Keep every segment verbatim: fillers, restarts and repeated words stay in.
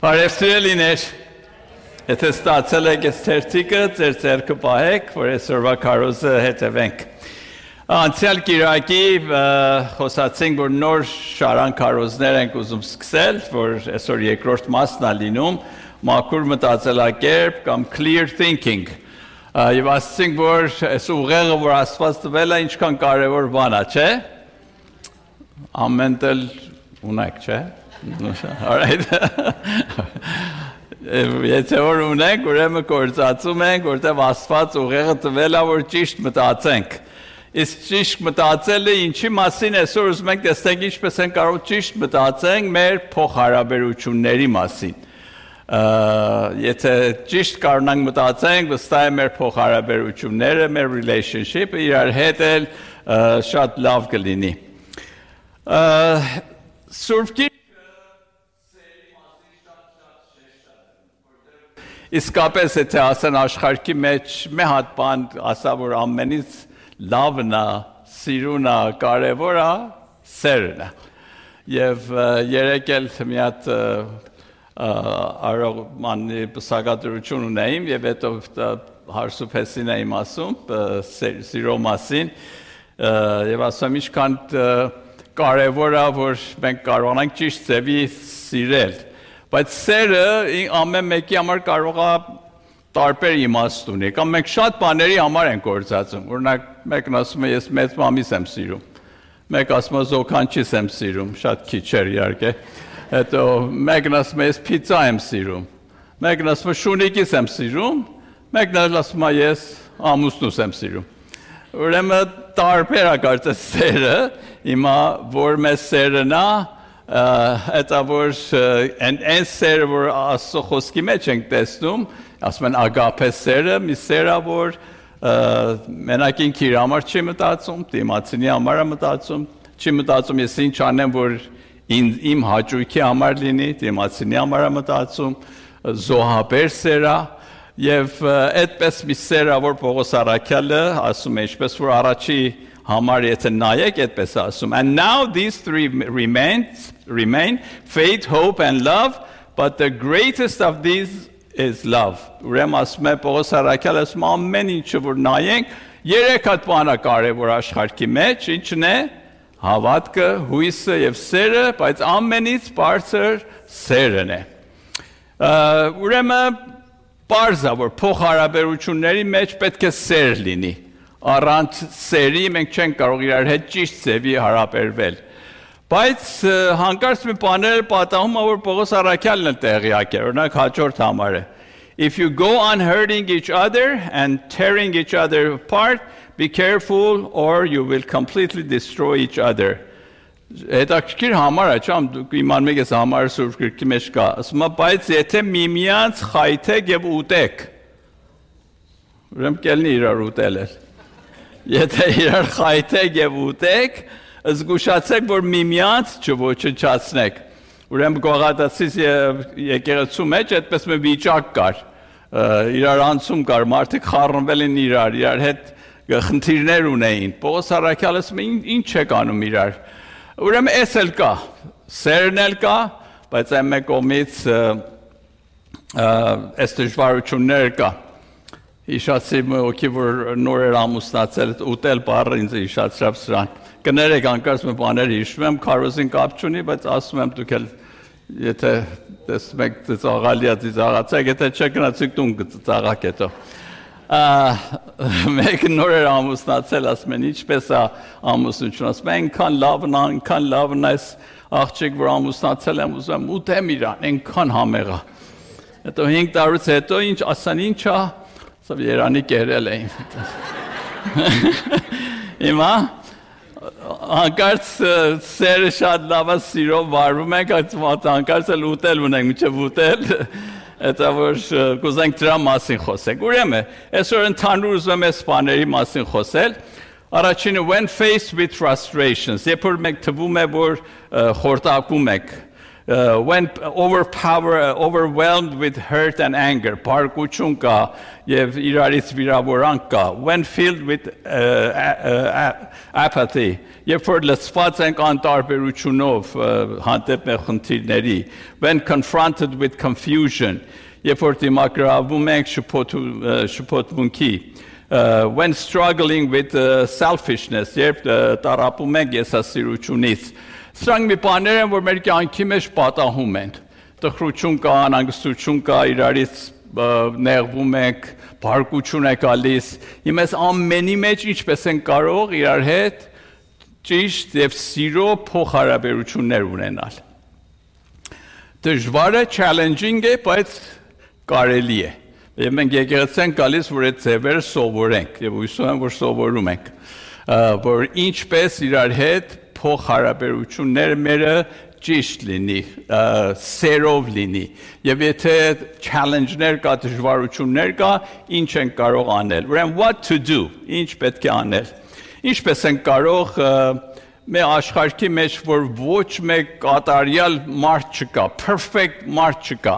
Բարևսրելիներ, եթե ստացել եք այս թերթիկը, ձեր ձեռքը պահեք, որ այսօրվա քարոզը հետևենք։ Անցյալ կիրակի խոսացինք, որ նոր շարան քարոզներ ենք ուզում սկսել, որ այսօր երկրորդ մասն է լինում, մաքուր մտածելակերպ կամ clear thinking։ Եվ ասացինք, որ այս ուղեղը, որ Աստված տվել է, ինչքան կարևոր բան է, չէ՞։ Ամեն տեղ ունեք, չէ՞։ Alright. Եթե որ ունենք, ուրեմն կործածում ենք, որտեղ Աստված ուղեղը տվել է, որ ճիշտ մտածենք։ Իսկ ճիշտ մտածելը ինչի մասին այսօր ուզում ենք տեսնենք ինչպես են կարող ճիշտ մտածենք մեր փոխհարաբերությունների մասին։ Եթե ճիշտ կարողանանք մտածենք, վստահ եմ մեր փոխհարաբերությունները, մեր relationship-ը իրար հետ էլ շատ լավ կլինի։ Սուրբ Իսկապես եթե ասեն աշխարհի մեջ մի հատ բան ասա որ ամենից լավն է, սիրուն է, կարևոր է, սերն է։ Եվ երեք էլ մի հատ արողմանի սակադրություն ունեին եւ հետո հարսուփեսին էի ասում սիրո մասին եւ ասում ինչքան կարևոր է որ մենք կարողանանք ճիշտ ձևի սիրել։ Բայց սերը ամեն մեկի համար կարող է տարբեր իմաստ ունի, կամ մենք շատ բաների համար ենք գործածում, օրինակ մեկն ասում է ես մեծ մամիս եմ սիրում, մեկ ասում է զոքանչիս եմ սիրում, շատ քիչ էր իհարկե, հետո մեկն ասում է ես պիցա եմ սիրում, մեկն ասում է շունիկիս եմ սիրում, մեկն ասում է ես ամուսնուս եմ սիրում։ Ուրեմն տարբեր է կարծես սերը, հիմա որ մեզ սերն է Հետա որ են սերը, որ Աստծո խոսքի մեջ ենք տեսնում, ասում են ագապե սերը, մի սերը, որ մենակ ինքը իր համար չի մտածում, դիմացինի համար է մտածում, չի մտածում ես ինչ անեմ, որ իմ հաճույքի համար լինի, դիմացինի համար է մտածում, զոհաբեր սերը, եւ այդպես մի սերը, որ Պողոս առաքյալը ասում է, ինչպես որ առաջի համար եթե նայեք այդպես ասում and now these three remain remain faith hope and love but the greatest of these is love ուրեմն ասում է Պողոս առաքյալը ասում ամեն ինչը որ նայենք երեք հատ բան է կարևոր աշխարհի մեջ ինչն է հավատքը հույսը եւ սերը բայց ամենից բարձր սերն է ուրեմն բարձր որ փոխհարաբերությունների մեջ պետք է սեր լինի Առանց սերի մենք չենք կարող իրար հետ ճիշտ ձևի հարաբերվել։ Բայց հանկարծ մի բաներ պատահում է որ Պողոս առաքյալն էլ տեղյակ է, օրինակ հաջորդ համարը։ If you go on hurting each other and tearing each other apart, be careful or you will completely destroy each other. Հետաքրքիր համար է, չեմ դուք իմանում եք այս համարը Սուրբ Գրքի մեջ կա։ Ասում է, բայց եթե միմյանց խայթեք եւ ուտեք։ Ուրեմն կելնի իրար ուտել էլ։ Եթե իրար խայթեք եւ ուտեք, զգուշացեք, որ միմյանց չոչնչացնեք։ Ուրեմն Գողադացիս եկեղեցու մեջ այդպես մի վիճակ կար։ Իրար անցում կար, մարդիկ խառնվել են իրար, իրար հետ խնդիրներ ունեին։ Պողոս առաքյալը ասում է ինչ եք անում իրար։ Ուրեմն էս էլ կա, սերն էլ կա, բայց այն մեկ կողմից այս դժվարություններ կա։ Հիշացի ոքի որ նոր էր ամուսնացել ուտել բառը ինձ հիշացրավ սրան կներեք անկարծ մի բաներ հիշում եմ քարոզին կապ չունի բայց ասում եմ դուք էլ եթե տեսնում եք ծաղալիա ծաղացեք եթե չեք գնացիք տուն ծաղակ հետո մեկ նոր էր ամուսնացել ասում են ինչպես է ամուսնություն ասում են այնքան լավն է այնքան լավն է աղջիկ որ ամուսնացել եմ ուզում եմ ուտեմ իրան այնքան համեղ է հետո հինգ տարուց հետո ինչ ասան ինչ է Սա երանի կերել էին։ Հիմա հանկարծ սերը շատ լավ է սիրով վարվում ենք, հանկարծ էլ ուտել ունենք, մինչև ուտել, հետո որ կուզենք դրա մասին խոսենք։ Ուրեմն, այսօր ընդհանուր ուզում եմ այս բաների մասին խոսել։ Առաջինը when faced with frustrations, երբ որ մենք թվում է որ խորտակում ենք Uh, when overpower, uh, overwhelmed with hurt and anger, փառքություն կա եւ իրարից վիրավորանք կա, when filled with uh, uh, apathy, երբ որ լցված ենք անտարբերությունով հանդեպ մեր խնդիրների, when confronted with confusion, երբ որ դիմագրավում ենք շփոթմունքի, uh, when struggling with uh, selfishness, երբ տառապում ենք եսասիրությունից. Սրանք մի բաներ են, որ մեր կյանքի մեջ պատահում են։ Տխրություն կա, անհանգստություն կա, իրարից նեղվում ենք, բարկություն է գալիս։ Հիմա այս ամենի մեջ ինչպես են կարող իրար հետ ճիշտ եւ սիրո փոխհարաբերություններ ունենալ։ Դժվար է, challenging է, բայց կարելի է։ Եվ մենք եկեղեցին գալիս, որ այդ ձևերը սովորենք եւ հույսով եմ, որ սովորում ենք, որ ինչպես իրար հետ փոխհարաբերությունները մերը ճիշտ լինի, սերով լինի, եւ եթե challenge-ներ կա, դժվարություններ կա, ինչ են կարող անել։ Ուրեմն what to do, ինչ պետք է անել։ Ինչպես են կարող մեր աշխարհի մեջ, որ ոչ մեկ կատարյալ մարդ չկա, perfect մարդ չկա։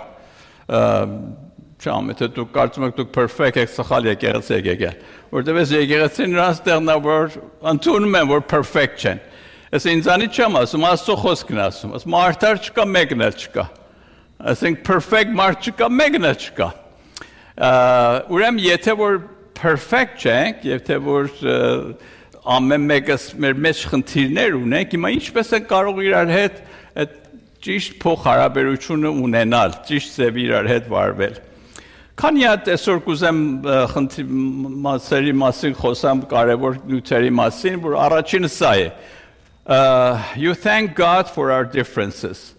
Չամ, եթե դուք կարծում եք դուք perfect եք, սխալ եկեղեցի եք եկել, որտեղ այս եկեղեցին նրանց տեղն է, որ ընդունում են, որ perfect չեն։ Ես ինձանից չեմ ասում, Աստծո խոսքն ասում, ասում մարդար չկա, մեկն էլ չկա։ Ասենք perfect մարդ չկա, մեկն էլ չկա։ Ուրեմն եթե որ perfect չենք, եթե որ ամեն մեկս մեր մեջ խնդիրներ ունենք, հիմա ինչպես են կարող իրար հետ այդ ճիշտ փոխհարաբերությունը ունենալ, ճիշտ ձև իրար հետ վարվել։ Քանի հատ այսօր կուզեմ մասերի մասին խոսամ, կարևոր նյութերի մասին, որ առաջինը սա է։ Uh, you thank God for our differences.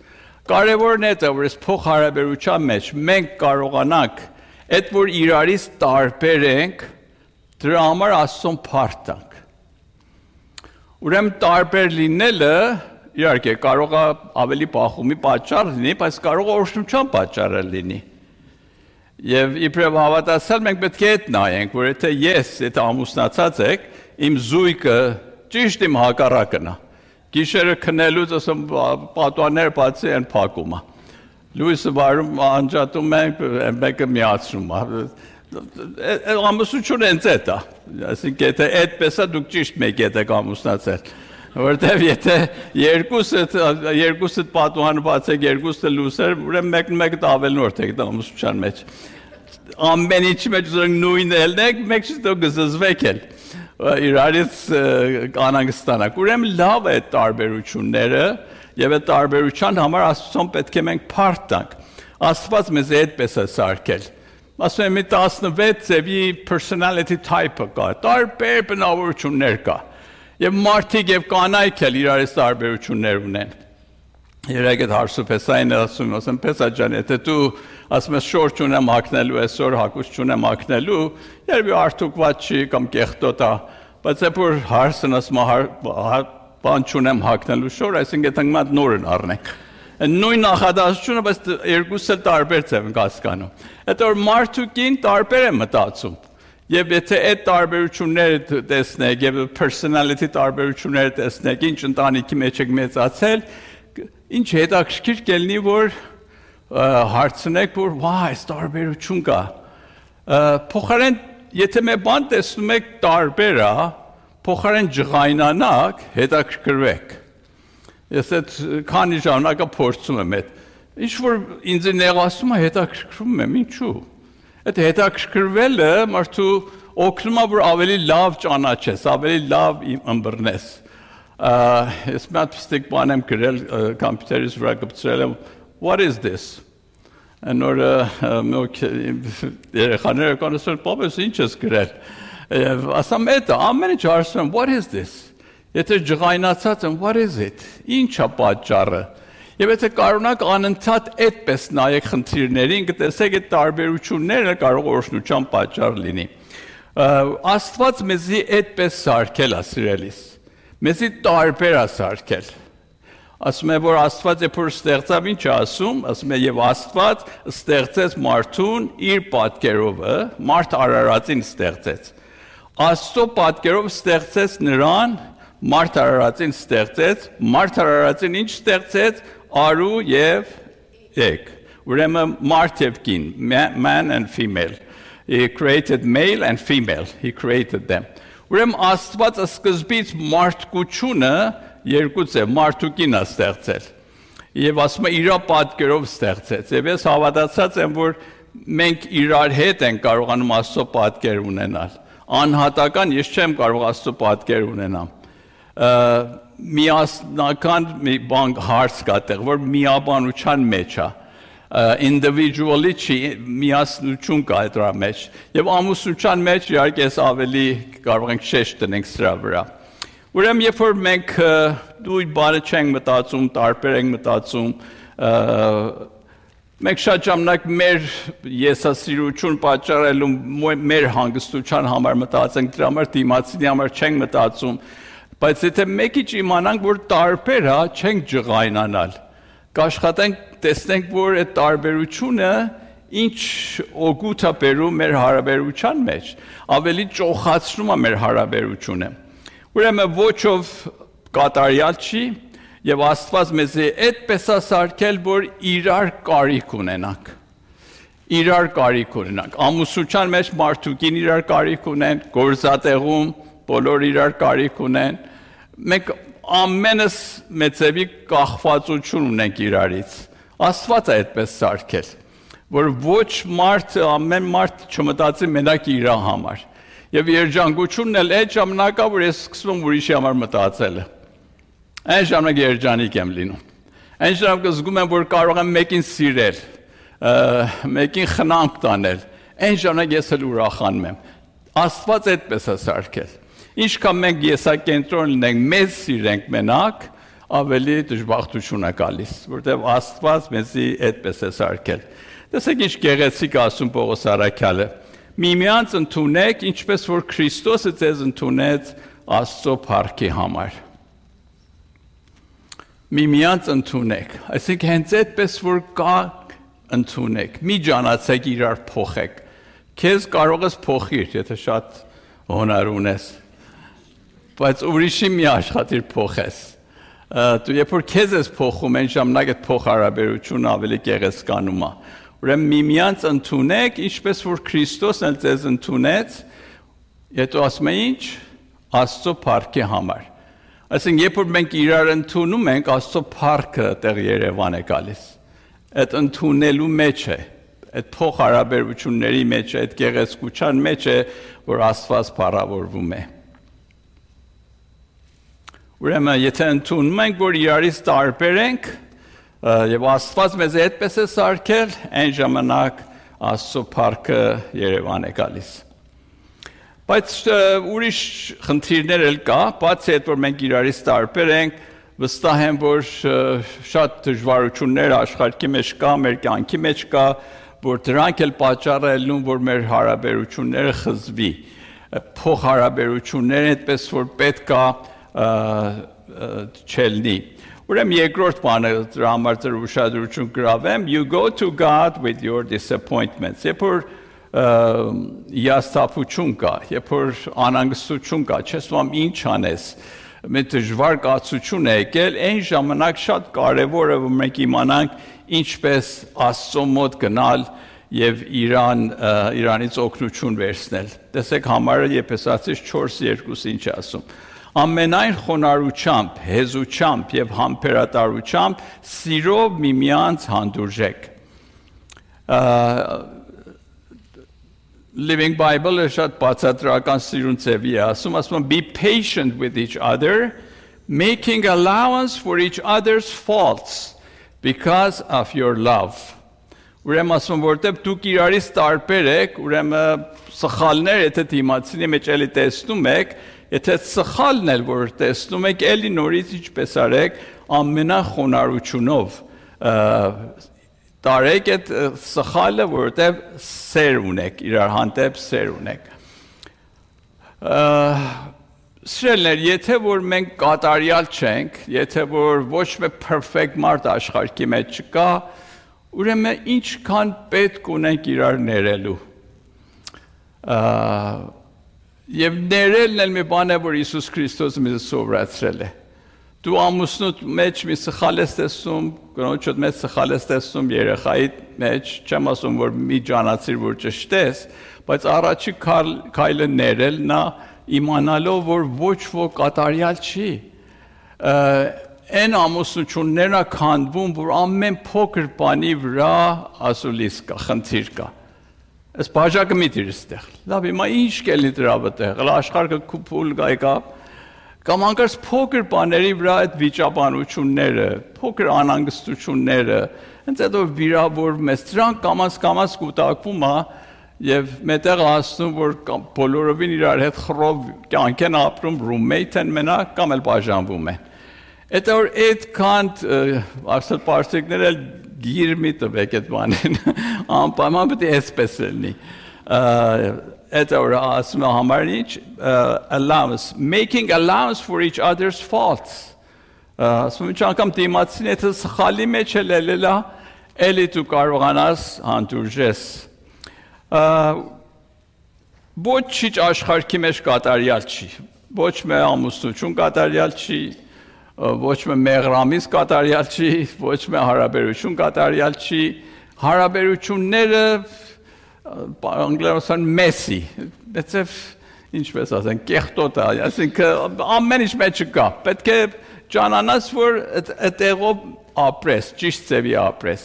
Կարևորն է դա, որ այս փոխհարաբերության մեջ մենք կարողանանք այդ որ իրարից տարբեր ենք, դրա համար Աստծուն փառք տանք։ Ուրեմն տարբեր լինելը իհարկե կարող է ավելի բախումի պատճառ լինի, բայց կարող է օրհնության պատճառ լինի։ Եվ իբրև հավատացյալ մենք պետք է այդ նայենք, որ եթե ես, եթե ամուսնացած եք, իմ զույգը ճիշտ իմ հակառակն է։ Գիշերը քնելուց ասում պատուանները բացի են փակում։ Լույսը վարում անջատում ենք, մեկը միացնում։ Ամուսնությունը ինձ է դա։ Այսինքն եթե այդպես է դուք ճիշտ մեկ եք ամուսնացել։ Որտեվ եթե երկուսը երկուսը պատուանը բացեք, երկուսը լույսեր, ուրեմն մեկն մեկը ավելնորդ եք դա ամուսնության մեջ։ Ամեն ինչի մեջ նույնն ելնեք, մեկ շտո գզզվեք էլ։ Իրարից անհանգստանանք։ Ուրեմն լավ է տարբերությունները եւ այդ տարբերության համար Աստծուն պետք է մենք փառք տանք։ Աստված մեզ այդպես է սարքել։ Ասում եմ մի տասնվեց ձևի personality type-ը կա, տարբեր բնավորություններ կա։ Եվ մարդիկ եւ կանայք էլ իրարից տարբերություններ ունեն։ Երեք այդ հարսուփեսային ասում, ասեմ Փեսա ջան, եթե դու ասում ես շոր չունեմ հագնելու, այսօր հագուց չունեմ հագնելու, երբ արդյունքված չի կամ կեղտոտ է, բայց երբ որ հարսն ասում բան չունեմ հագնելու շոր, այսինքն այդ անգամ նորն առնենք։ Նույն նախադասությունը, բայց երկուսը տարբեր ձև են հասկանում։ Այդ որ մարդուկին տարբեր է մտածում։ Եվ եթե այդ տարբերությունները տեսնեք եւ personality տարբերությունները տեսնեք, ինչ ընտանիքի մեջ եք մեծացել, ինչ հետաքրքիր կլինի, որ հարցնեք, որ վայ, այս տարբերություն կա։ Փոխարեն, եթե մի բան տեսնում եք տարբեր է, փոխարեն ջղայնանաք, հետաքրքրվեք։ Ես այդ քանի ժամանակ փորձում եմ այդ։ Ինչ որ ինձ նեղացում է, հետաքրքրվում եմ, ինչու։ Այդ հետաքրքրվելը մարդու օգնում է, որ ավելի լավ ճանաչես, ավելի լավ ըմբռնես։ Ես մի հատ ստիկ բան եմ գրել կոմպյուտերից վրա գծել եմ, what is this? Նոր երեխաները կանասել, պապես ինչ ես գրել։ Ասամ էտա, ամեն ինչ հարցում եմ, what is this? Եթե ջղայնացած եմ, what is it? Ինչ է պատճառը։ Եվ եթե կարողանաք անընդհատ այդպես նայեք խնդիրներին, կտեսեք այդ տարբերությունները կարող օրհնության պատճառ լինի։ Աստված մեզի այդպես սարքել է սիրելիս։ Մեզի տարբեր է սարքել։ Ասում է, որ Աստված երբ որ ստեղծավ, ինչ է ասում, ասում է եւ Աստված ստեղծեց մարդուն իր պատկերով, մարդ արարածին ստեղծեց։ Աստծո պատկերով ստեղծեց նրան, մարդ արարածին ստեղծեց, մարդ արարածին ինչ ստեղծեց, Aru եւ Ek. Ուրեմն մարդ եւ կին, man and female. He created male and female. He created them. Ուրեմն Աստված սկզբից մարդկությունը երկուց է, մարդ ու կին է ստեղծել։ Եվ ասում է իր պատկերով ստեղծեց։ Եվ ես հավատացած եմ, որ մենք իրար հետ ենք կարողանում Աստծո պատկեր ունենալ։ Անհատական ես չեմ կարող Աստծո պատկեր ունենամ։ Միասնական մի բան հարց կա տեղ, որ միաբանության մեջ է։ Individually չի միասնություն կա դրա մեջ եւ ամուսնության մեջ իհարկե ես ավելի կարող ենք շեշտ տնենք սրա վրա ուրեմն երբ որ մենք դույր բանը չենք մտածում տարբեր ենք մտածում մենք շատ ժամանակ մեր եսասիրություն պատճառելու մեր հանգստության համար մտածենք դրա համար դիմացինի համար չենք մտածում բայց եթե մեկի իմանանք որ տարբեր է չենք ջղայնանալ կաշխատենք տեսնենք որ այդ տարբերությունը ինչ օգուտ է բերում մեր հարաբերության մեջ ավելի ճոխացնում է մեր հարաբերությունը ուրեմն ոչով կատարյալ չի եւ Աստված մեզ այդպես է սարքել որ իրար կարիք ունենանք իրար կարիք ունենանք ամուսնության մեջ մարդուկին իրար կարիք ունեն գործատեղում բոլոր իրար կարիք ունեն մենք ամենս մեծևի կախվածություն ունենք իրարից Աստված է այդպես սարքել, որ ոչ մարդ, ամեն մարդ չմտածի մենակ իր համար։ Եվ երջանկությունն էլ այդ ժամանակա, որ ես սկսում եմ ուրիշի համար մտածելը։ Այն ժամանակ երջանիկ եմ լինում։ Այն ժամանակ զգում եմ, որ կարող եմ մեկին սիրել, մեկին խնամք տանել։ Այն ժամանակ ես էլ ուրախանում եմ։ Աստված այդպես է սարքել։ Ինչքան մենք եսակենտրոն լինենք, մեզ սիրենք մենակ, ավելի դժբախտություն է գալիս, որտեղ Աստված մեզի այդպես է սարքել։ Տեսեք ինչ գեղեցիկ ասում Պողոս առաքյալը. Միմյանց ընդունեք, ինչպես որ Քրիստոսը ձեզ ընդունեց Աստծո փառքի համար։ Միմյանց ընդունեք, այսինքն հենց այդպես որ կա ընդունեք, մի ջանացեք իրար փոխեք։ Քեզ կարող ես փոխիր, եթե շատ հոնար ունես, բայց ուրիշի մի աշխատիր փոխես։ Դու երբ որ քեզ ես փոխում, այն ժամանակ այդ փոխհարաբերությունը ավելի գեղեցկանում է։ Ուրեմն միմյանց ընդունեք, ինչպես որ Քրիստոսն էլ ձեզ ընդունեց, հետո ասում է ինչ, Աստծո փառքի համար։ Այսինքն երբ որ մենք իրար ընդունում ենք, Աստծո փառքը տեղ Երևան է գալիս։ Այդ ընդունելու մեջ է, այդ փոխհարաբերությունների մեջ է, այդ գեղեցկության մեջ է, որ Աստված փառավորվում է։ Ուրեմն եթե ընդունում ենք, որ իրարից տարբեր ենք, եւ Աստված մեզ այդպես է սարքել, այն ժամանակ Աստծո փառքը Երևան է գալիս։ Բայց ուրիշ խնդիրներ էլ կա, բացի այդ որ մենք իրարից տարբեր ենք, վստահ եմ, որ շատ դժվարություններ աշխարհի մեջ կա, մեր կյանքի մեջ կա, որ դրանք էլ պատճառ են լինում, որ մեր հարաբերությունները խզվի։ Փոխհարաբերությունները այդպես որ պետք է չելնի։ Ուրեմն երկրորդ բանը դրա համար ձեր ուշադրություն գրավեմ, you go to God with your disappointments։ Երբ որ հիասթափություն կա, երբ որ անհանգստություն կա, չես ուզում ինչ անես, մեր դժվար կացություն է եկել, այն ժամանակ շատ կարևոր է որ մենք իմանանք ինչպես Աստծո մոտ գնալ եւ Իրան Իրանից օգնություն վերցնել։ Տեսեք համարը Եփեսացիս չորս երկու ինչ է ասում։ Ամենայն խոնարհությամբ, հեզությամբ եւ համբերատարությամբ սիրով միմյանց հանդուրժեք։ Living Bible-ը շատ բացատրական սիրուն ձևի է ասում, ասում be patient with each other, making allowance for each other's faults because of your love. Ուրեմն ասում որտեղ դուք իրարից տարբեր եք, ուրեմն սխալներ եթե դիմացինի մեջ էլի տեսնում եք, եթե սխալն էլ որ տեսնում եք, էլի նորից ինչպես արեք, ամենախոնարհությունով տարեք այդ սխալը, որտեղ սեր ունեք, իրար հանդեպ սեր ունեք։ Սիրելիներ, եթե որ մենք կատարյալ չենք, եթե որ ոչ մի perfect մարդ աշխարհի մեջ չկա, ուրեմն ինչքան պետք ունենք իրար ներելու։ Եվ ներելն էլ մի բան է, որ Հիսուս Քրիստոսը մեզ սովորացրել է։ դու ամուսնուդ մեջ մի սխալ ես տեսում, կնոջդ մեջ սխալ ես տեսում, երեխայի մեջ, չեմ ասում, որ մի ջանացիր, որ ճշտես, բայց առաջի քայլը ներել նա իմանալով, որ ոչ ոք կատարյալ չի։ Այն ամուսնություններն ա քանդվում, որ ամեն փոքր բանի վրա ասուլիս կա, խնդիր կա։ Այս բաժակը մի դիր ստեղ։ Լավ, հիմա ինչ կելնի դրա վտեղ, աշխարհը փուլ գայկա, կամ անկարծ փոքր բաների վրա այդ վիճաբանությունները, փոքր անհանգստությունները, հենց հետո վիրավորվում ես, դրանք կամաց կամաց կուտակվում է եւ մետեղ ասում, որ բոլորովին իրար հետ խռով կյանք են ապրում, roommate են մենակ կամ էլ բաժանվում են։ Այդ որ այդքան ասել պարսիկները գիր մի տվեք այդ բանին, անպայման պետք է այսպես լինի։ Այդ որ ասում է համար ինչ allowance, making allowance for each other's faults։ Ասում ինչ անգամ դիմացին եթե սխալի մեջ է լելելա, էլի դու կարողանաս հանդուրժես։ Ոչ ինչ աշխարհի մեջ կատարյալ չի, ոչ մի ամուսնություն կատարյալ չի, ոչ մի մեղրամիս կատարյալ չի, ոչ մի հարաբերություն կատարյալ չի, հարաբերությունները անգլերեն messy, դեցև ինչպես ասեն, կեղտոտ է, այսինքն ամեն ինչ մեջ կա, պետք է ճանանաս, որ այդտեղով ապրես, ճիշտ ձևի ապրես։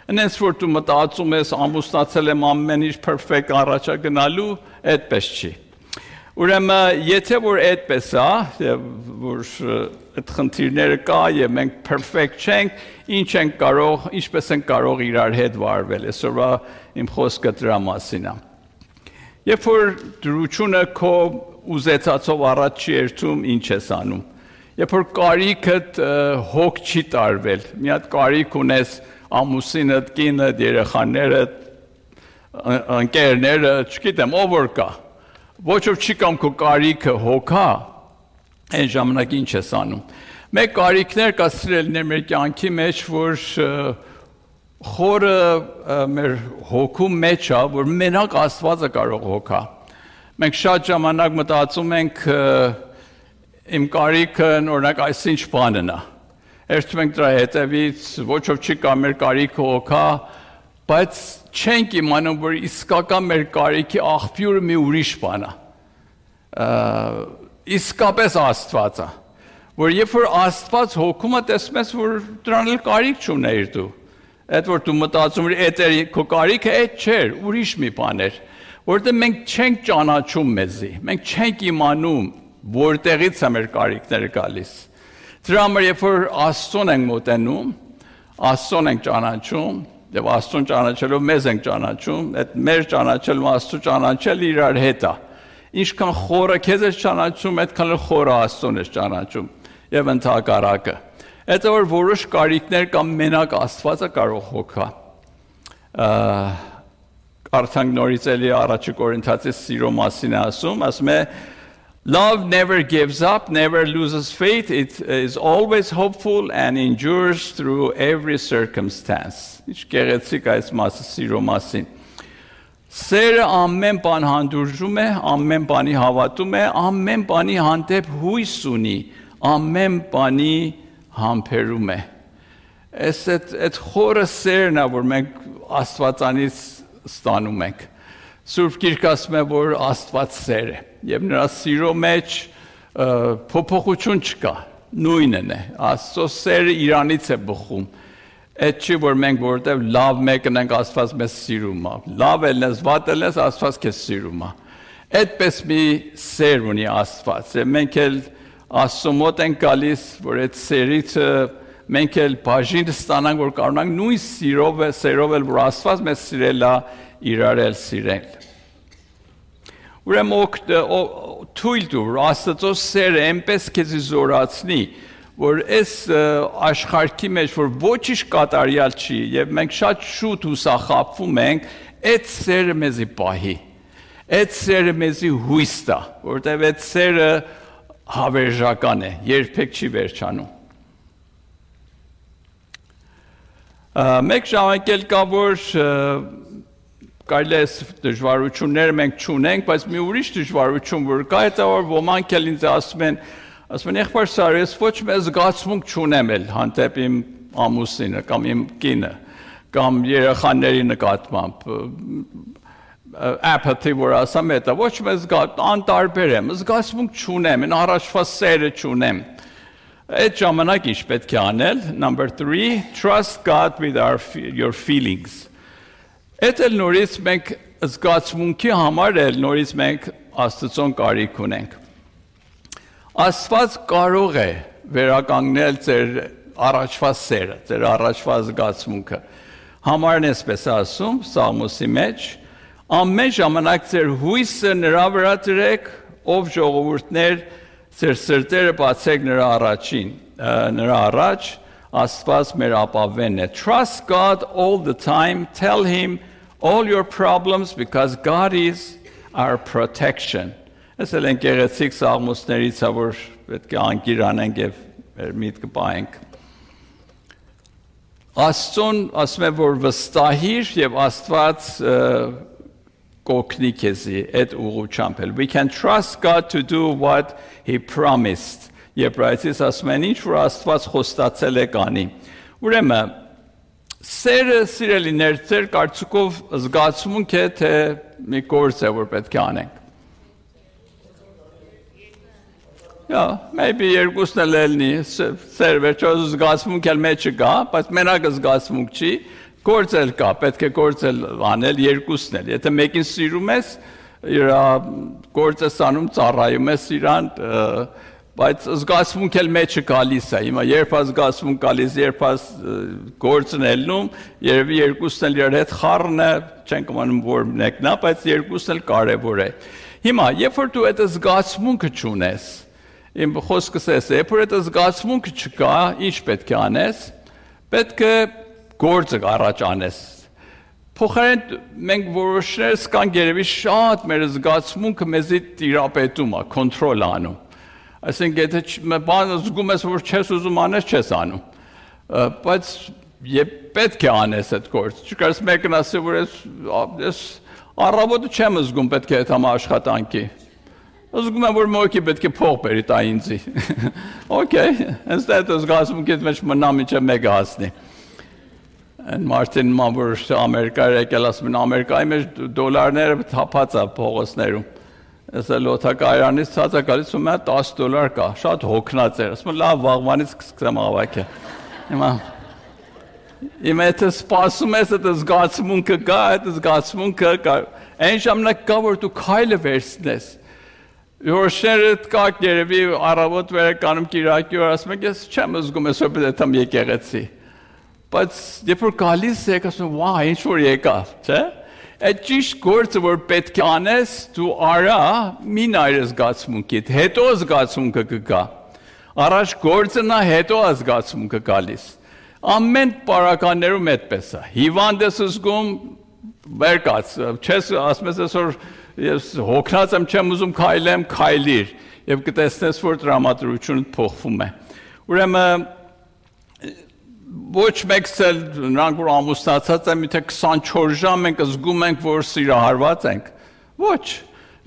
Այնպես որ դու մտածում ես ամուսնացել եմ ամեն ինչ perfect առաջա գնալու, այդպես չի։ Ուրեմն եթե որ այդպես է, որ այդ խնդիրները կա եւ մենք perfect չենք, ինչ ենք կարող, ինչպես ենք կարող իրար հետ վարվել, այսօրվա իմ խոսքը դրա մասին է։ Երբ որ դրությունը քո ուզեցածով առաջ չի երթում, ինչ ես անում։ Երբ որ կարիքդ հոգ չի տարվել, մի հատ կարիք ունես ամուսինդ, կինդ, երեխաներդ, ընկերները, չգիտեմ, ով որ կա։ Ոչ ով չի կամ քո կարիքը հոգա, այն ժամանակ ինչ ես անում։ Մեկ կարիքներ կա սիրելիներ մեր կյանքի մեջ, որ խորը մեր հոգու մեջ է, որ մենակ Աստվածը կարող հոգա։ Մենք շատ ժամանակ մտածում ենք իմ կարիքը օրինակ այսինչ բանն է։ Երբ մենք դրա հետևից ոչ ով չի կամ մեր կարիքը հոգա, բայց չենք իմանում, որ իսկական մեր կարիքի աղբյուրը մի ուրիշ բան է։ Իսկապես Աստված է, որ երբ որ Աստված հոգում է, տեսնում ես, որ դրան էլ կարիք չունեիր դու։ Այդ որ դու մտածում ես, այդ քո կարիքը այդ չէր, ուրիշ մի բան էր, որտեղ մենք չենք ճանաչում մեզի, մենք չենք իմանում, որտեղից է մեր կարիքները գալիս։ Դրա համար երբ որ Աստծուն ենք մոտենում, Աստծուն ենք ճանաչում, եւ Աստծուն ճանաչելով մեզ ենք ճանաչում, այդ մեր ճանաչելու Աստծու ճանաչել իրար հետ է։ Ինչքան խորը քեզ ես ճանաչում, այդքան էլ խորը Աստծուն ես ճանաչում եւ ընդհակառակը։ Այդ որ որոշ կարիքներ կամ մենակ Աստվածը կարող հոգա։ Կարդանք նորից էլի առաջի Կորինթացի սիրո մասին է ասում, ասում է Love never gives up, never loses faith, it is always hopeful and endures through every circumstance. Ինչ գեղեցիկ այս մասը սիրո մասին։ Սերը ամեն բան հանդուրժում է, ամեն բանի հավատում է, ամեն բանի հանդեպ հույս ունի, ամեն բանի համբերում է։ Այս այդ խորը սերն է, որ մենք Աստվածանից ստանում ենք։ Սուրբ Գիրքը ասում է, որ Աստված սեր է, եւ նրա սիրո մեջ փոփոխություն չկա, նույնն է։ Աստծո սերը իրանից է բխում։ Այդ չի որ մենք որտեվ լավ մեկն ենք Աստված մեզ սիրում է։ Լավ էլ ես, վատ էլ ես, Աստված քեզ սիրում է։ Այդպես մի սեր ունի Աստված։ Եվ մենք էլ Աստծո մոտ ենք գալիս, որ այդ սերից մենք էլ բաժին ստանանք, որ կարողանանք նույն սիրով է, սերով էլ որ Աստված մեզ սիրել է, իրար էլ սիրել։ Ուրեմն թույլ տուր Աստծո սերը այնպես քեզ զորացնի, որ այս աշխարհի մեջ որ ոչինչ կատարյալ չի եւ մենք շատ շուտ հուսախաբվում ենք, այդ սերը մեզի պահի։ Այդ սերը մեզի հույս տա, որտեղ այդ սերը հավերժական է, երբեք չի վերջանում։ Մեկ ժամանակ էլ կա որ կարելի է դժվարություններ մենք չունենք, բայց մի ուրիշ դժվարություն որ կա, դա որ ոմանք էլ ինձ ասում են, Ասում են եղբայր Սարը, ես ոչ մի զգացմունք չունեմ էլ հանդեպ իմ ամուսինը կամ իմ կինը կամ երեխաների նկատմամբ apathy որ ասամ էտա ոչ մի զգաց անտարբեր եմ զգացմունք չունեմ այն առաջվա սերը չունեմ այդ ժամանակ ինչ պետք է անել number three trust God with our your feelings այդ էլ նորից մենք զգացմունքի համար էլ նորից մենք Աստծուն կարիք ունենք Աստված կարող է վերականգնել ձեր առաջվա սերը, ձեր առաջվա զգացմունքը։ Համարն էսպես ասում, Սաղմոսի մեջ, ամեն ժամանակ ձեր հույսը նրա վրա դրեք, ով ժողովուրդներ, ձեր սրտերը բացեք նրա առաջին, նրա առաջ, Աստված մեր ապավենն է։ Trust God all the time, tell him all your problems because God is our protection. Ես էլ են գեղեցիկ սաղմոսներից է, որ պետք է անկիր անենք և միտքը պայենք։ Աստծուն ասում է, որ վստահիր և Աստված կօգնի քեզի այդ ուղղությամբ էլ։ We can trust God to do what he promised։ Եբրայեցիս ասում են, ինչ որ Աստված խոստացել է կանի։ Ուրեմն, սերը սիրելիներ, ձեր կարծիքով զգացմունք է, թե մի գործ է, որ պետք է անենք։ Yeah, maybe երկուսն էլ ելնի, սեր վերջո զգացմունք էլ մեջը կա, բայց մենակ զգացմունք չի, գործ էլ կա, պետք է գործ էլ անել երկուսն էլ։ Եթե մեկին սիրում ես, իր գործը անում ծառայում ես իրան, բայց զգացմունք էլ մեջը գալիս է։ Հիմա երբ զգացմունք գալիս, երբ գործն ելնում, երևի երկուսն էլ իր հետ խառն է, չենք իմանում որ մեկն է, բայց երկուսն էլ կարևոր է։ Հիմա, երբ որ դու այդ զգացմունքը չունես, Իմ խոսքս էս է, որ այդ զգացմունքը չկա, ինչ պետք է անես, պետք է գործը առաջ անես։ Փոխարեն մենք որոշներս կան երևի շատ մեր զգացմունքը մեզի տիրապետում է, կոնտրոլ անում։ Այսինքն եթե բան զգում ես, որ չես ուզում անես, չես անում։ Բայց երբ պետք է անես այդ գործը, չկարես մեկն ասի, որ ես առավոտը չեմ զգում պետք է այդ համ աշխատանքի։ Զգում եմ, որ մոքի պետք է փող բերի տա ինձի։ Okay, հենց այդ զգացմունքից մեջ մնա միջը մեկը հասնի։ Այն Մարտին ման որ Ամերիկա եկել ասում են Ամերիկայի մեջ դոլարները թափած է փողոցներում։ Ես էլ օթակայանից ցած է գալիս ու մա դես դոլար կա, շատ հոգնած էր։ Ասում եմ լավ վաղվանից կսկսեմ հավաքել։ Հիմա Հիմա եթե սպասում ես այդ զգացմունքը կա, այդ զգացմունքը կա։ Այն ժամանակ կա որ դու քայլը վերցնես։ Որոշները կակ երևի առավոտ վերականում կիրակի օր ասում եք ես չեմ զգում ես որ պետք է եկեղեցի բայց երբ որ գալիս եք ասում վա ինչ որ եկավ չէ այդ ճիշտ գործը որ պետք է անես դու արա մի նայր զգացմունքիդ հետո զգացմունքը կգա առաջ գործը նա հետո զգացմունքը գալիս ամեն պարականներում այդպես է հիվանդ ես զգում վերկաց չես ասում ես որ Ես հոգնած եմ չեմ ուզում քայլեմ, քայլիր եւ կտեսնես որ դրամատրությունը փոխվում է։ Ուրեմն ոչ մեկսել նրանք որ ամուսնացած են, միթե քսանչորս ժամ ենք զգում ենք որ սիրահարված ենք։ Ոչ,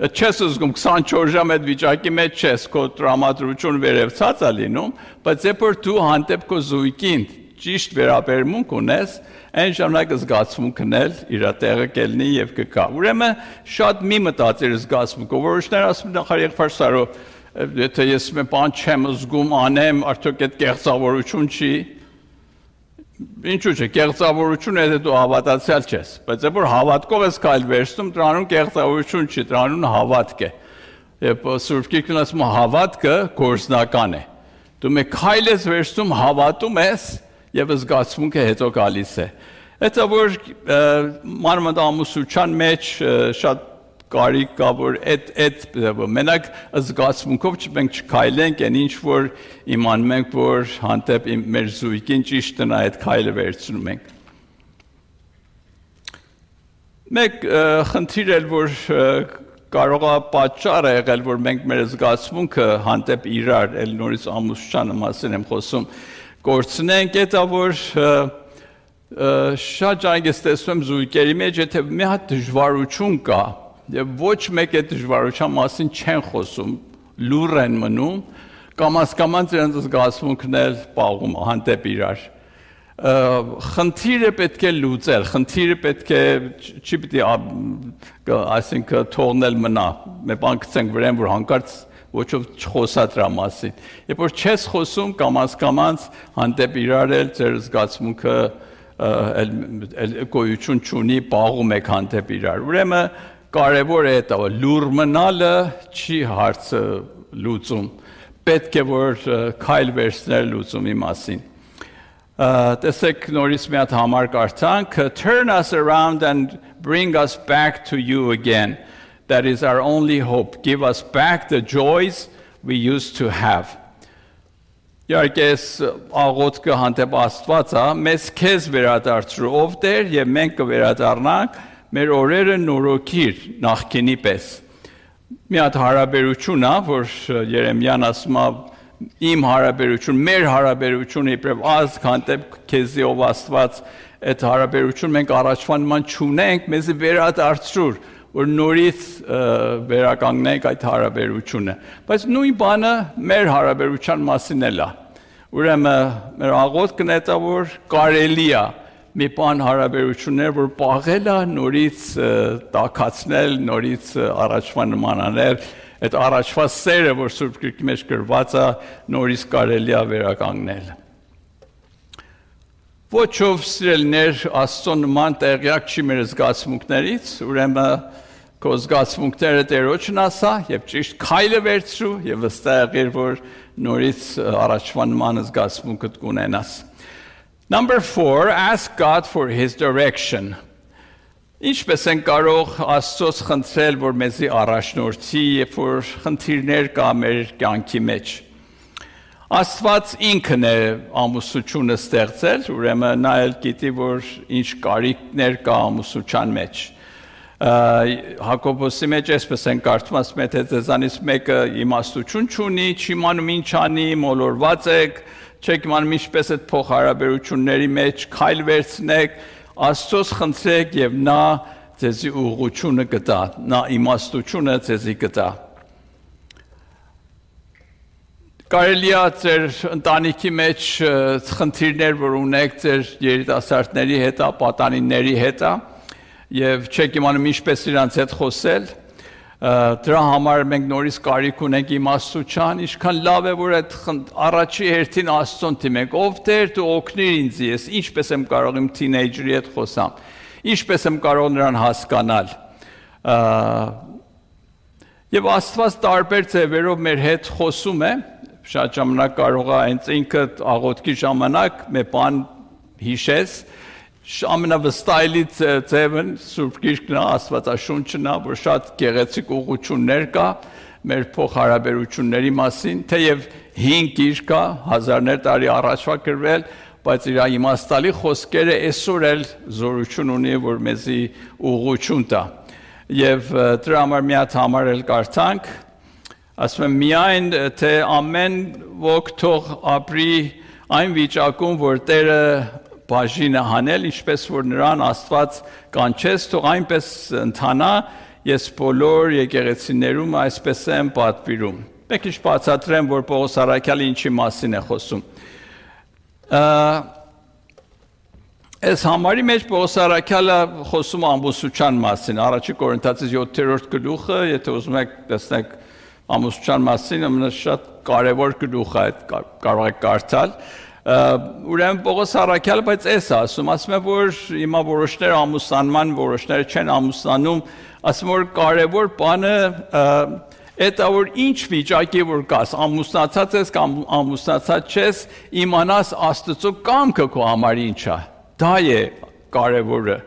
չես զգում քսանչորս ժամ այդ վիճակի մեջ չես, քո դրամատրությունը վերևցած է լինում, բայց երբ որ դու հանդեպ քո զույգին ճիշտ վերաբերմունք ունես, այն ժամանակ զգացմունքն էլ իր տեղը կելնի եւ կգա։ Ուրեմն շատ մի մտածիր զգացմունքը, որոշներ ասում նախար եղբայր Սարո, եթե ես մի բան չեմ զգում անեմ, արդյոք այդ կեղծավորություն չի։ Ինչու՞ չէ, կեղծավորությունը եթե դու հավատացյալ չես, բայց եթե որ հավատքով ես քայլ վերցնում, դրանուն կեղծավորություն չի, դրանուն հավատք է։ Եվ Սուրբ Գիրքն ասում է հավատքը գործնական է։ Դու մի քայլ ես վերցնում, հավատում ես եւ զգացմունքը հետո գալիս է։ Դա որ մանրամասնության մեջ շատ կարիք կա որ այդ այդ մենակ զգացմունքով չենք չքայլենք, այն ինչ որ իմանում ենք որ հանդեպ մեր զույգին ճիշտ նա այդ քայլը վերցնում ենք։ Մեկ խնդիր էլ որ կարող է պատճառ է եղել որ մենք մեր զգացմունքը հանդեպ իրար էլ նորից ամուսնության մասին եմ խոսում գործնենք դա որ շատ ջանք ես տեսնում զույգերի մեջ եթե մի հատ դժվարություն կա եւ ոչ մեկ այդ դժվարության մասին չեն խոսում լուր են մնում կամաց-կամաց իրենց զգացմունքն էլ պաղում է հանդեպ իրար։ Խնդիրը պետք է լուծել, խնդիրը պետք է չի պիտի այսինքն թողնել մնա։ Մենք բան գցենք վրան, որ հանկարծ ոչով չխոսա դրա մասին։ Երբ որ չես խոսում կամաց-կամաց հանդեպ իրար էլ ձեր զգացմունքը էլ գոյություն չունի, պաղում եք հանդեպ իրար։ Ուրեմն կարևոր է դա, լուր մնալը չի հարցը լուծում։ Պետք է որ քայլ վերցնել լուծումի մասին։ Տեսեք նորից մի հատ համար կարդանք, turn us around and bring us back to you again. That is our only hope. Give us back the joys we used to have. Իհարկե աղոթքը հանդեպ Աստված է, մեզ քեզ վերադարձրու ով Տեր եւ մենք կվերադառնանք մեր օրերը նորոգիր նախկինի պես։ Մի հատ հարաբերություն է, որ Երեմիան ասում է իմ հարաբերություն, մեր հարաբերությունը իբրև ազգ հանդեպ քեզի ով Աստված, այդ հարաբերություն մենք առաջվա նման չունենք, մեզի վերադարձրու, որ նորից վերականգնենք այդ հարաբերությունը։ Բայց նույն բանը մեր հարաբերության մասին էլ է։ Ուրեմն մեր աղոթքն է դա, որ կարելի է մի բան հարաբերություններ, որ պաղել է, նորից տաքացնել, նորից առաջվա նմանանել, այդ առաջվա սերը, որ Սուրբ Գրքի մեջ գրված է, նորից կարելի է վերականգնել։ Ոչով սիրելիներ, Աստծո նման տեղյակ չի մեր զգացմունքներից, ուրեմն քո զգացմունքները Տերոջն ասա եւ ճիշտ քայլը վերցրու եւ վստահ եղիր, որ նորից առաջվա նման զգացմունքդ կունենաս։ Number four, ask God for his direction. Ինչպես են կարող Աստծոց խնդրել, որ մեզի առաջնորդի, երբ որ խնդիրներ կա մեր կյանքի մեջ։ Աստված ինքն է ամուսնությունը ստեղծել, ուրեմն նա էլ գիտի, որ ինչ կարիքներ կա ամուսնության մեջ։ Հակոբոսի մեջ այսպես են կարդում, ասում է, թե ձեզանից մեկը իմաստություն չունի, չի իմանում ինչ անի, մոլորված եք, չեք իմանում ինչպես այդ փոխհարաբերությունների մեջ քայլ վերցնեք, Աստծոց խնդրեք եւ նա ձեզի ուղղությունը կտա, նա իմաստությունը ձեզի կտա։ Կարելի է ձեր ընտանիքի մեջ խնդիրներ, որ ունեք ձեր երիտասարդների հետ, պատանիների հետ, եւ չեք իմանում ինչպես իրանց հետ խոսել, դրա համար մենք նորից կարիք ունենք իմաստության, ինչքան լավ է, որ այդ առաջի հերթին Աստծուն դիմենք, ով Տեր դու օգնիր ինձ, ես ինչպես եմ կարող իմ թինեյջերի հետ խոսամ, ինչպես եմ կարող նրան հասկանալ։ Եվ Աստված տարբեր ձևերով մեր հետ խոսում է, շատ ժամանակ կարող է հենց ինքը աղոթքի ժամանակ մի բան հիշես, ամենավստահելի ձևն Սուրբ Գիրքն է, Աստվածաշունչն է, որ շատ գեղեցիկ ուղղություններ կա մեր փոխհարաբերությունների մասին, թեև հին գիրք է, հազարներ տարի առաջվա գրվել, բայց իր իմաստալի խոսքերը այսօր էլ զորություն ունի, որ մեզի ուղղություն տա։ Եվ դրա համար մի հատ համար էլ կարդանք, ասում եմ միայն թե ամեն ոք թող ապրի այն վիճակում, որ Տերը բաժինը հանել, ինչպես որ նրան Աստված կանչեց, թող այնպես ընթանա, ես բոլոր եկեղեցիներում այսպես եմ պատվիրում։ Մեկ ինչ բացատրեմ, որ Պողոս առաքյալը ինչի մասին է խոսում։ Այս համարի մեջ Պողոս առաքյալը խոսում ամուսնության մասին, առաջի Կորինթացիս յոթերորդ գլուխը, եթե ուզում եք տեսնեք ամուսնության մասին, ամենաշատ կարևոր գլուխ է, կարող եք կարդալ։ Ուրեմն Պողոս առաքյալը բայց էս ասում, ասում է, որ հիմա որոշները ամուսնանման, որոշները չեն ամուսնանում, ասում որ կարևոր բանը այդ որ ինչ վիճակի որ կաս, ամուսնացած ես կամ ամուսնացած չես, իմանաս Աստծո կամքը քո համար ինչ է։ Դա է կարևորը։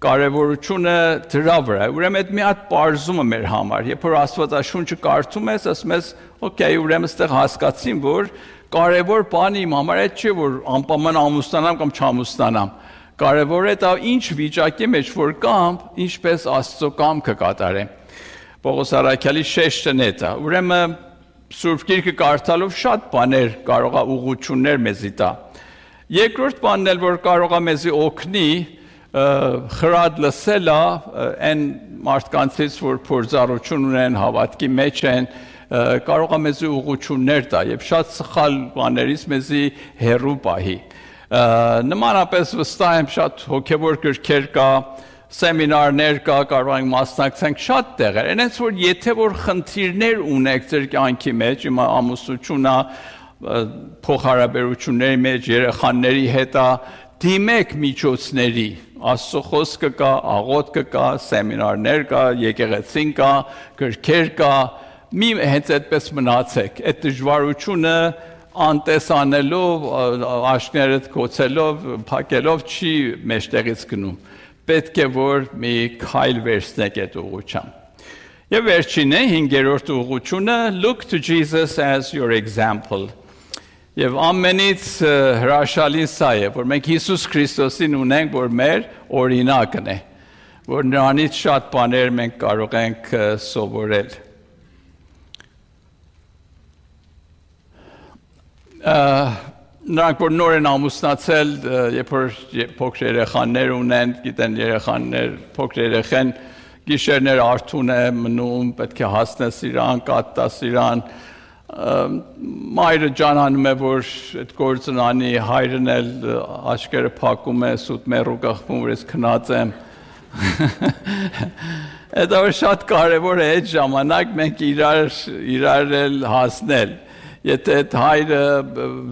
Կարևորությունը դրա վրա է։ Ուրեմն այդ մի հատ բարձումը մեր համար, երբ որ Աստվածաշունչը կարդում ես, ասում ես, օքեյ, ուրեմն այստեղ հասկացին, որ կարևոր բանը իմ համար այդ չէ, որ անպայման ամուսնանամ կամ չամուսնանամ։ Կարևոր է դա ինչ վիճակի մեջ որ կամ, ինչպես Աստծո կամքը կատարեմ։ Պողոս առաքյալի շեշտն է դա։ Ուրեմն Սուրբ Գիրքը կարդալով շատ բաներ կարող է ուղղություններ մեզի տա։ Երկրորդ բանն էլ որ կարող է մեզի օգնի, խրատ լսելը այն մարդկանցից, որ փորձառություն ունեն, հավատքի մեջ են, կարող է մեզ ուղղություններ տա եւ շատ սխալ բաներից մեզի հեռու պահի։ Նմանապես վստահ եմ շատ հոգեվոր գրքեր կա, սեմինարներ կա, կարող ենք մասնակցենք շատ տեղեր։ Այնպես որ եթե որ խնդիրներ ունեք ձեր կյանքի մեջ, հիմա ամուսնությունա, փոխհարաբերությունների մեջ, երեխաների հետ, դիմեք միջոցների, Աստծո խոսքը կա, աղոթքը կա, սեմինարներ կա, եկեղեցին կա, գրքեր կա, մի հենց այդպես մնացեք։ Այդ դժվարությունը անտեսանելով, աշկներդ կոչելով, փակելով չի մեջտեղից գնում։ Պետք է որ մի քայլ վերցնեք այդ ուղղությամբ։ Եվ վերջինը հինգերորդ ուղղությունը look to Jesus as your example։ Եվ ամենից հրաշալին սա է, որ մենք Հիսուս Քրիստոսին ունենք, որ մեր օրինակն է, որ նրանից շատ բաներ մենք կարող ենք սովորել։ Նրանք որ նոր են ամուսնացել, երբ որ փոքր երեխաներ ունեն, գիտեն երեխաներ, փոքր երեխան գիշերներ արթուն է մնում, պետք է հասնես իրան, կատտաս իրան, մայրը ջանանում է, որ այդ գործն անի, հայրն էլ աչքերը փակում է, սուտ մեռու գախվում, որ ես քնած եմ։ Այդ որ շատ կարևոր է այդ ժամանակ մենք իրար իրար էլ հասնել։ Եթե այդ հայրը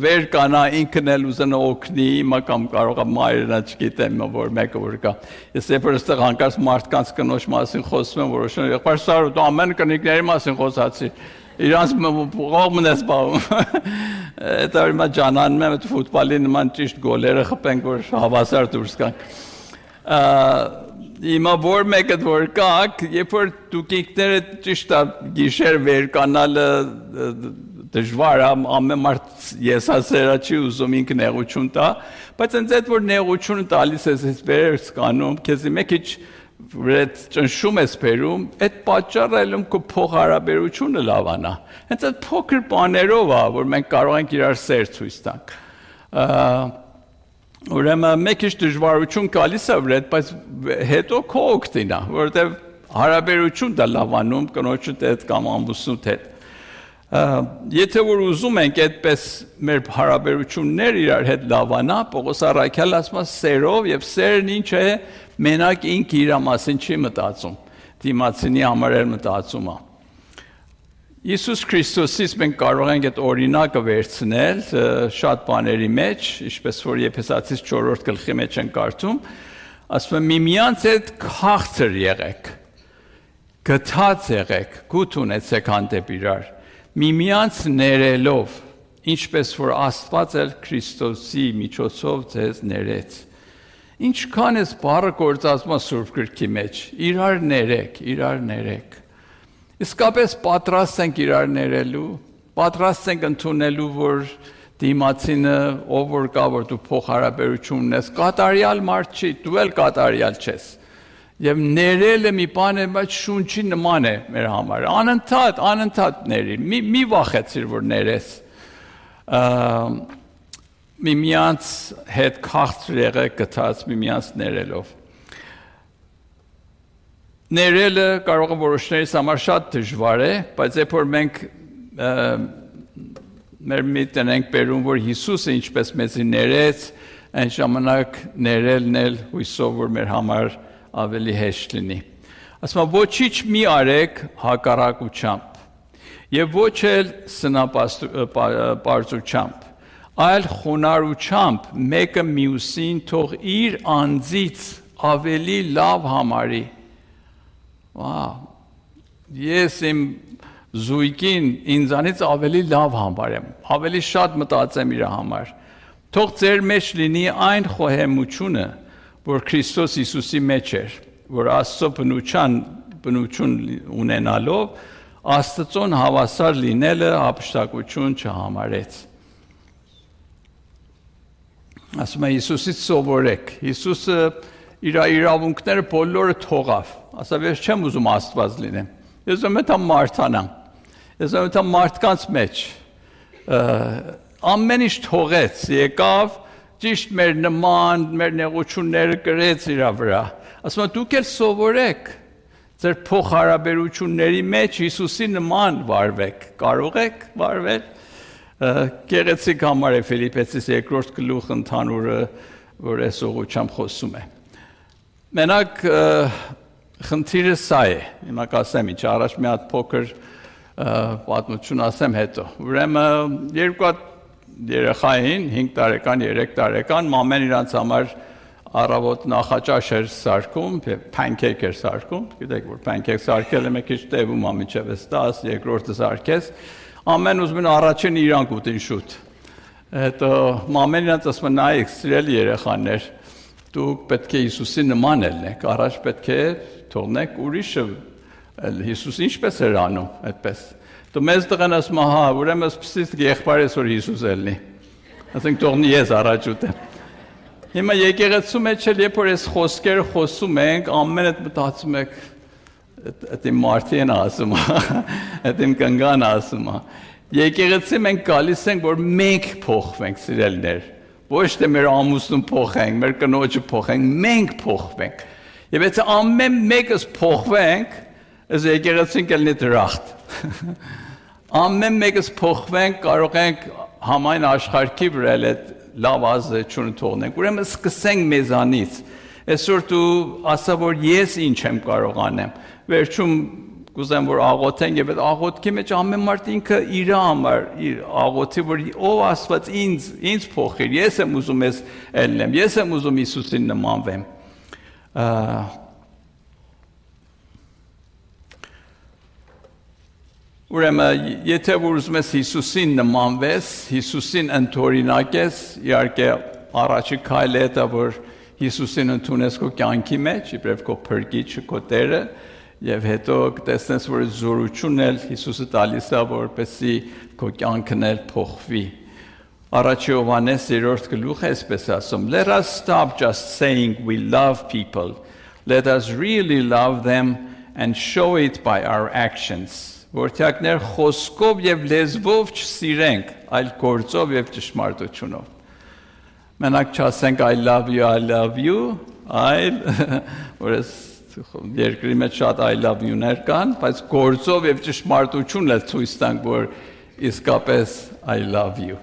վեր կանա ինքն էլ ուզենա օգնի, հիմա կամ կարող է մայրը, չգիտեմ, որ մեկը որ կա։ Ես երբ որ այստեղ հանկարծ մարդկանց կնոջ մասին խոսում եմ, որոշում եմ, եղբայր Սարու, դու ամեն կնիկների մասին խոսացի։ Իրանց կողմն ես բաղում։ Այդ որ հիմա ջանանում եմ, այդ ֆուտբոլի նման ճիշտ գոլերը խփենք, որ հավասար դուրս գանք։ Հիմա որ մեկը որ կաք, երբ որ դուք ինքներդ ճիշտ գիշեր վեր կանալը դժվար է, ամեն մարդ եսասերա չի ուզում ինքն նեղություն տա, բայց այնց այդ որ նեղությունը տալիս ես ես վեր սկանում, քեզի մեկ քիչ վրետ ճնշում ես բերում, այդ պատճառը ելում քո փոխհարաբերությունը լավանա։ Հենց այդ փոքր բաներով է, որ մենք կարող ենք իրար սեր ցույց տանք։ Ուրեմն մեկ քիչ դժվարություն գալիս է վրետ, բայց հետո քո օգտին է, որովհետև հարաբերություն դա լավանում կնոջդ հետ կամ ամուսնուդ հետ։ Եթե որ ուզում ենք այդպես մեր հարաբերություններ իրար հետ լավանա, Պողոս առաքյալն ասում է սերով, եւ սերն ինչ է, մենակ ինքը իր մասին չի մտածում, դիմացինի համար էլ մտածում է։ Հիսուս Քրիստոսից մենք կարող ենք այդ օրինակը վերցնել շատ բաների մեջ, ինչպես որ Եփեսացիս չորրորդ գլխի մեջ են կարդում, ասում է միմյանց հետ քաղցր եղեք, գթած եղեք, գութ ունեցեք հանդեպ իրար, միմյանց ներելով, ինչպես որ Աստված էլ Քրիստոսի միջոցով ձեզ ներեց։ Ինչքան էս բառը գործածում է Սուրբ Գրքի մեջ, իրար ներեք, իրար ներեք։ Իսկապես պատրաստ ենք իրար ներելու, պատրաստ ենք ընդունելու, որ դիմացինը ով որ կա, որ դու փոխհարաբերություն ունես, կատարյալ մարդ չի, դու էլ կատարյալ չես։ Եվ ներելը մի բան է, բայց շունչի նման է մեր համար։ Անընդհատ, անընդհատ ների, մի, մի վախեցիր, որ ներես։ Միմյանց հետ քաղցր եղեք գթած, միմյանց ներելով։ Ներելը կարող է որոշներից համար շատ դժվար է, բայց երբ որ մենք մեր միտքն ենք բերում, որ Հիսուսը ինչպես մեզի ներեց, այն ժամանակ ներելն էլ հույսով որ մեր համար ավելի հեշտ լինի։ Ասում եմ, ոչինչ մի արեք հակառակությամբ եւ ոչ էլ սնապարծությամբ, այլ խոնարհությամբ մեկը մյուսին թող իր անձից ավելի լավ համարի։ Վау։ Ես իմ զույգին ինձանից ավելի լավ համարեմ, ավելի շատ մտածեմ իր համար։ Թող ձեր մեջ լինի այն խոհեմությունը, որ Քրիստոս Հիսուսի մեջ էր, որ Աստծո բնության բնություն ունենալով Աստծուն հավասար լինելը հափշտակություն չհամարեց։ Ասում է Հիսուսից սովորեք։ Հիսուսը իր իրավունքները բոլորը թողավ։ Ասավ ես չեմ ուզում Աստված լինեմ։ Ես ուզում եմ մարդանամ։ Ես ուզում եմ մարդկանց մեջ ամեն ինչ թողեց, եկավ ճիշտ մեր նման, մեր նեղությունները կրեց իր վրա։ Ասում եմ դուք էլ սովորեք, Ձեր փոխհարաբերությունների մեջ Հիսուսի նման վարվեք, կարող եք վարվել։ Գեղեցիկ համար է Ֆիլիպեցիս երկրորդ գլուխ ընդհանուրը, որ այս ուղղությամբ խոսում է։ Մենակ խնդիրը սա է, հիմա կասեմ ինչ, առաջ մի հատ փոքր պատմություն ասեմ հետո։ Ուրեմն երկու հատ երեխա էին, հինգ տարեկան, երեք տարեկան, մամեն իրանց համար առավոտ նախաճաշ էր սարքում, փանքեյք էր սարքում, գիտեք որ փանքեյք սարքելը մի քիչ տևում է մինչև տասը, երկրորդը սարքես, ամեն ուզում են առաջին իրանք ուտին շուտ։ Հետո մամեն իրանց ասում է նայեք, սիրելի երեխաներ, դուք պետք է Հիսուսի նման ելնեք, առաջ պետք է թողնեք ուրիշը, Հիսուս ինչպես էր անում, այդպես։ Դու մեզ տղան ասում հա, ուրեմն սկսից եղբայրս որ Հիսուս ելնի։ Ասենք թողնի ես առաջ ուտեմ։ Հիմա եկեղեցու մեջ էլ երբ որ այս խոսքերը խոսում ենք, ամենը մտածում եք, այդ իմ մարդին ասում է, այդ իմ կնգան ասում է։ Եկեղեցի մենք գալիս ենք, որ մենք փոխվենք, սիրելիներ, ոչ թե մեր ամուսնուն փոխենք, մեր կնոջը փոխենք, մենք փոխվենք։ Եվ եթե ամեն մեկս փոխվենք, այս եկեղեցին կլինի դրախտ։ Ամեն մեկս փոխվենք, կարող ենք համայն աշխարհի վրա այդ լավ ազդեցություն թողնենք։ Ուրեմն սկսենք մեզանից։ Այսօր դու ասա որ ես ինչ եմ կարող անեմ։ Վերջում կուզեմ որ աղոթենք եւ այդ աղոթքի մեջ ամեն մարդ ինքը իր համար իր աղոթի որ ով Աստված ինձ ինձ փոխիր։ Ես եմ ուզում ես ելնեմ։ Ես եմ ուզում Հիսուսին նմանվեմ։ Ուրեմն եթե որ ուզում ես Հիսուսին նմանվես, Հիսուսին ընդօրինակես, իհարկե առաջի քայլը դա որ Հիսուսին ընդունես քո կյանքի մեջ, իբրև քո փրկիչը, քո Տերը, եւ հետո կտեսնես որ զորությունն էլ Հիսուսը տալիս է որպեսզի քո կյանքն էլ փոխվի։ Առաջի Հովհաննես երրորդ գլուխը այսպես ասում. Let us stop just saying we love people. Let us really love them and show it by our actions. Որթյակներ խոսքով եւ լեզվով չսիրենք, այլ գործով եւ ճշմարտությունով։ Մենակ չասենք I love you, I love you, այլ որս երկրի մեջ շատ I love you-ներ կան, բայց գործով եւ ճշմարտությունն էլ ցույց տանք, որ իսկապես I love you։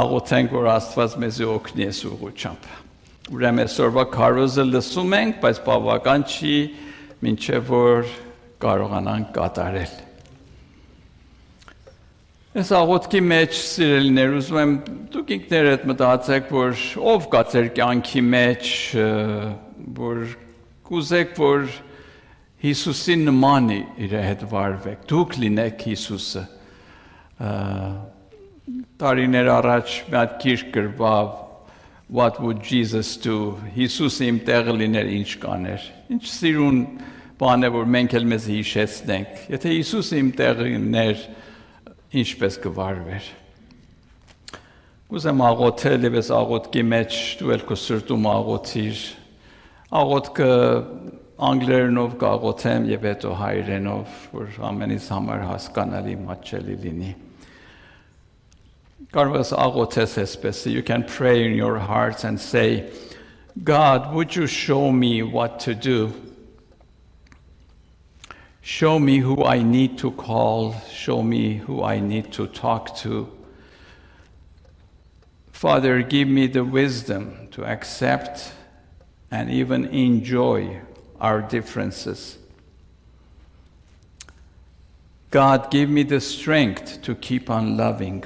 Աղոթենք, որ Աստված մեզ օգնի այս ուղղությամբ։ Ուրեմն այսօրվա քարոզը լսում ենք, բայց բավական չի, մինչև որ կարողանանք կատարել։ Այս աղոթքի մեջ սիրելիներ ուզում եմ դուք ինքներդ մտածեք, որ ով կա ձեր կյանքի մեջ, որ կուզեք, որ Հիսուսի նման իր հետ վարվեք, դուք լինեք Հիսուսը։ Տարիներ առաջ մի հատ գիրք գրվավ What would Jesus do? Հիսուսը իմ տեղը լիներ ինչ կաներ։ Ինչ սիրուն բան է, որ մենք էլ մեզ հիշեցնենք։ Եթե Հիսուսը իմ տեղը լիներ, ինչպես կվարվեր։ Կուզեմ աղոթել եւ այս աղոթքի մեջ դու էլ քո սրտում աղոթիր։ Աղոթքը անգլերենով կաղոթեմ եւ հետո հայերենով, որ ամենից համար հասկանալի մատչելի լինի։ Կարող ես աղոթես այսպես. You can pray in your hearts and say, God, would you show me what to do? Show me who I need to call. Show me who I need to talk to. Father, give me the wisdom to accept and even enjoy our differences. God, give me the strength to keep on loving.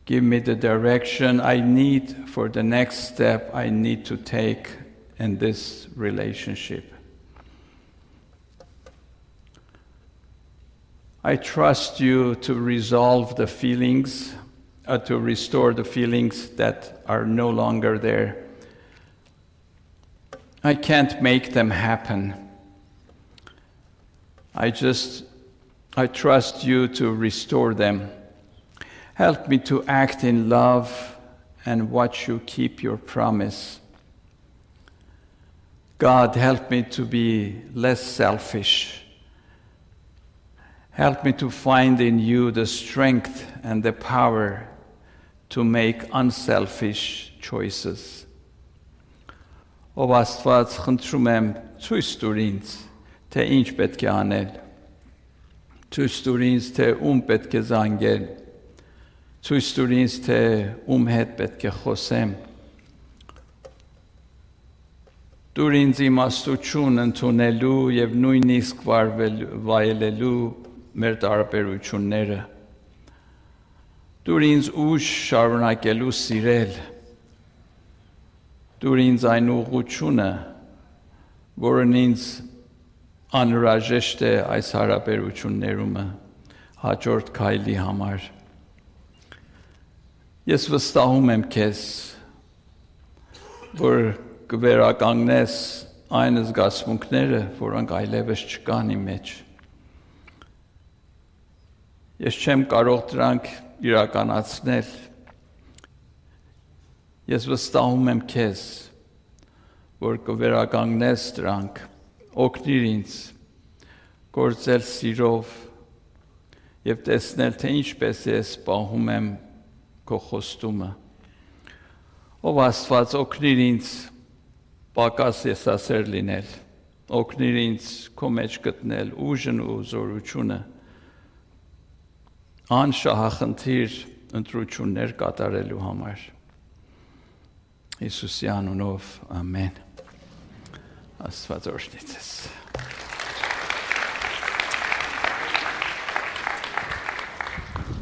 Give me the direction I need for the next step I need to take in this relationship. I trust you to resolve the feelings, uh, to restore the feelings that are no longer there. I can't make them happen. I just, I trust you to restore them. Help me to act in love and watch you keep your promise. God, help me to be less selfish. Help me to find in you the strength and the power to make unselfish choices. Ով Աստված, խնդրում եմ ցույց տուր ինձ, թե ինչ պետք է անել։ Ցույց տուր ինձ, թե ում պետք է զանգել։ Ցույց տուր ինձ, թե ում հետ պետք է խոսեմ։ Տուր ինձ իմաստություն ընդունելու եւ նույնիսկ վայելելու մեր տարբերությունները։ Տուր ինձ ուժ շարունակելու սիրել։ Տուր ինձ այն ուղղությունը, որն ինձ անհրաժեշտ է այս հարաբերություններում հաջորդ քայլի համար։ Ես վստահում եմ քեզ, որ կվերականգնես այն զգացմունքները, որոնք այլևս չկան իմ մեջ։ Ես չեմ կարող դրանք իրականացնել։ Ես վստահում եմ քեզ, որ կվերականգնես դրանք, օգնիր ինձ գործել սիրով եւ տեսնել, թե ինչպես ես պահում եմ քո խոստումը։ Ով Աստված, օգնիր ինձ պակաս եսասեր լինել, օգնիր ինձ քո մեջ գտնել ուժն ու զորությունը, անշահախնդիր ընտրություններ կատարելու համար։ Հիսուսի անունով ամեն։ Աստված օրհնի ձեզ։